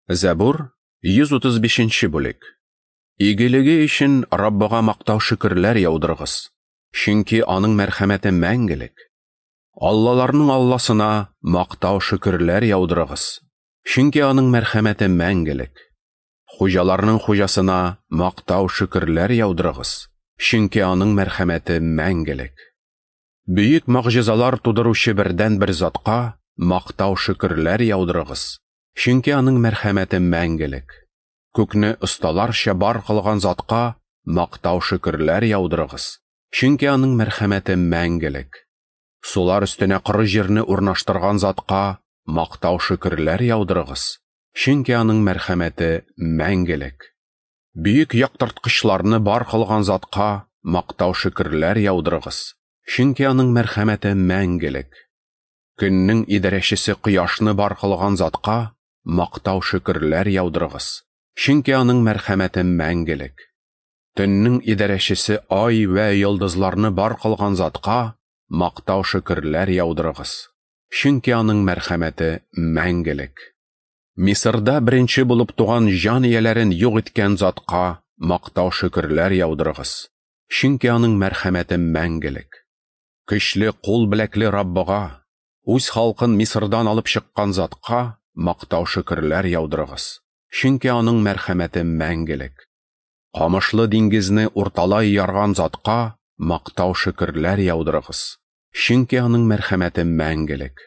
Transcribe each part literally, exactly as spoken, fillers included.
Зәбур, йөз утыз бишенче бүлек. Игелеге өчен Раббыга мактау шөкерләр яудырыгыз, чөнки аның мәрхәмәте мәңгелек. Аллаларның Алласына мактау шөкерләр яудырыгыз, чөнки аның мәрхәмәте мәңгелек. Хуҗаларның хуҗасына мактау шөкерләр яудырыгыз, чөнки аның мәрхәмәте мәңгелек. Бөек могҗизалар тудыручы бердәнбер затка мактау шөкерләр яудырыгыз, чөнки аның мәрхәмәте мәңгелек. Күкне осталарча бар кылган затка мактау шөкерләр яудырыгыз, чөнки аның мәрхәмәте мәңгелек. Сулар өстенә коры җирне урнаштырган затка мактау шөкерләр яудырыгыз, чөнки аның мәрхәмәте мәңгелек. Бөек яктырткычларны бар кылган затка мактау шөкерләр яудырыгыз, чөнки аның мәрхәмәте мәңгелек. Көннең идарәчесе кояшны бар кылган затка мактау шөкерләр яудырыгыз, чөнки аның мәрхәмәте мәңгелек. Төннең идарәчесе ай вә йолдызларны бар кылган затка мактау шөкерләр яудырыгыз, чөнки аның мәрхәмәте мәңгелек. Мисырда беренче булып туган җан ияләрен юк иткән затка мактау шөкерләр яудырыгыз, чөнки аның мәрхәмәте мәңгелек. Көчле кул беләкле Раббыга, үз халкын Мисырдан алып чыккан затка мактау шөкерләр яудырыгыз, чөнки аның мәрхәмәте мәңгелек. Камышлы диңгезне урталай ярган затка мактау шөкерләр яудырыгыз, чөнки аның мәрхәмәте мәңгелек.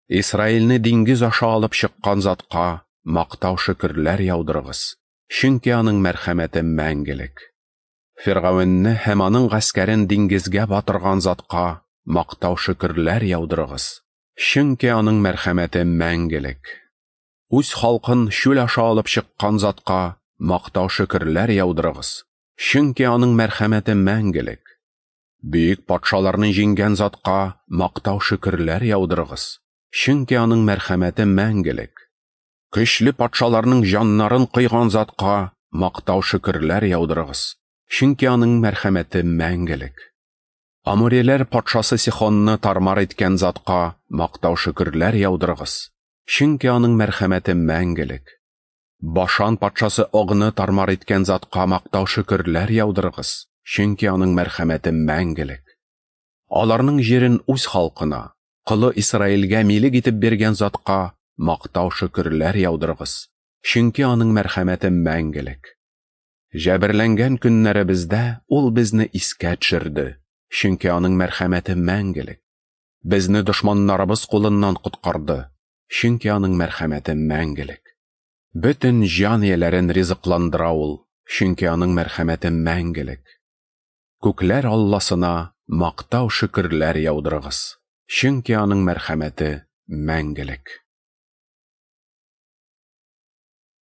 Исраилне диңгез аша алып чыккан затка мактау шөкерләр яудырыгыз, чөнки аның мәрхәмәте мәңгелек. Фиргавенне һәм аның гаскәрен диңгезгә батырган затка мактау шөкерләр яудырыгыз, чөнки аның мәрхәмәте мәңгелек. Үз халкын чүл аша алып чыккан затка мактау шөкерләр яудырыгыз, чөнки аның мәрхәмәте мәңгелек. Бөек патшаларны җиңгән затка мактау шөкерләр яудырыгыз, чөнки аның мәрхәмәте мәңгелек. Көчле патшаларның җаннарын кыйган затка мактау шөкерләр яудырыгыз, чөнки аның мәрхәмәте мәңгелек. Амореләр патшасы Сихонны тармар иткән затка мактау шөкерләр яудырыгыз, чөнки аның мәрхәмәте мәңгелек. Башан патшасы Огны тармар иткән затка мактау шөкерләр яудырыгыз, чөнки аның мәрхәмәте мәңгелек. Аларның җирен үз халкына, колы Исраилгә милек итеп биргән затка мактау шөкерләр яудырыгыз, чөнки аның мәрхәмәте мәңгелек. Җәберләнгән көннәребездә ул безне искә төшерде, чөнки аның мәрхәмәте мәңгелек. Безне дошманнарыбыз кулыннан коткарды, чөнки аның мәрхәмәте мәңгелек. Бөтен җан ияләрен ризыкландыра ул, чөнки аның мәрхәмәте мәңгелек. Күкләр Алласына мактау шөкерләр яудырыгыз, чөнки аның мәрхәмәте мәңгелек.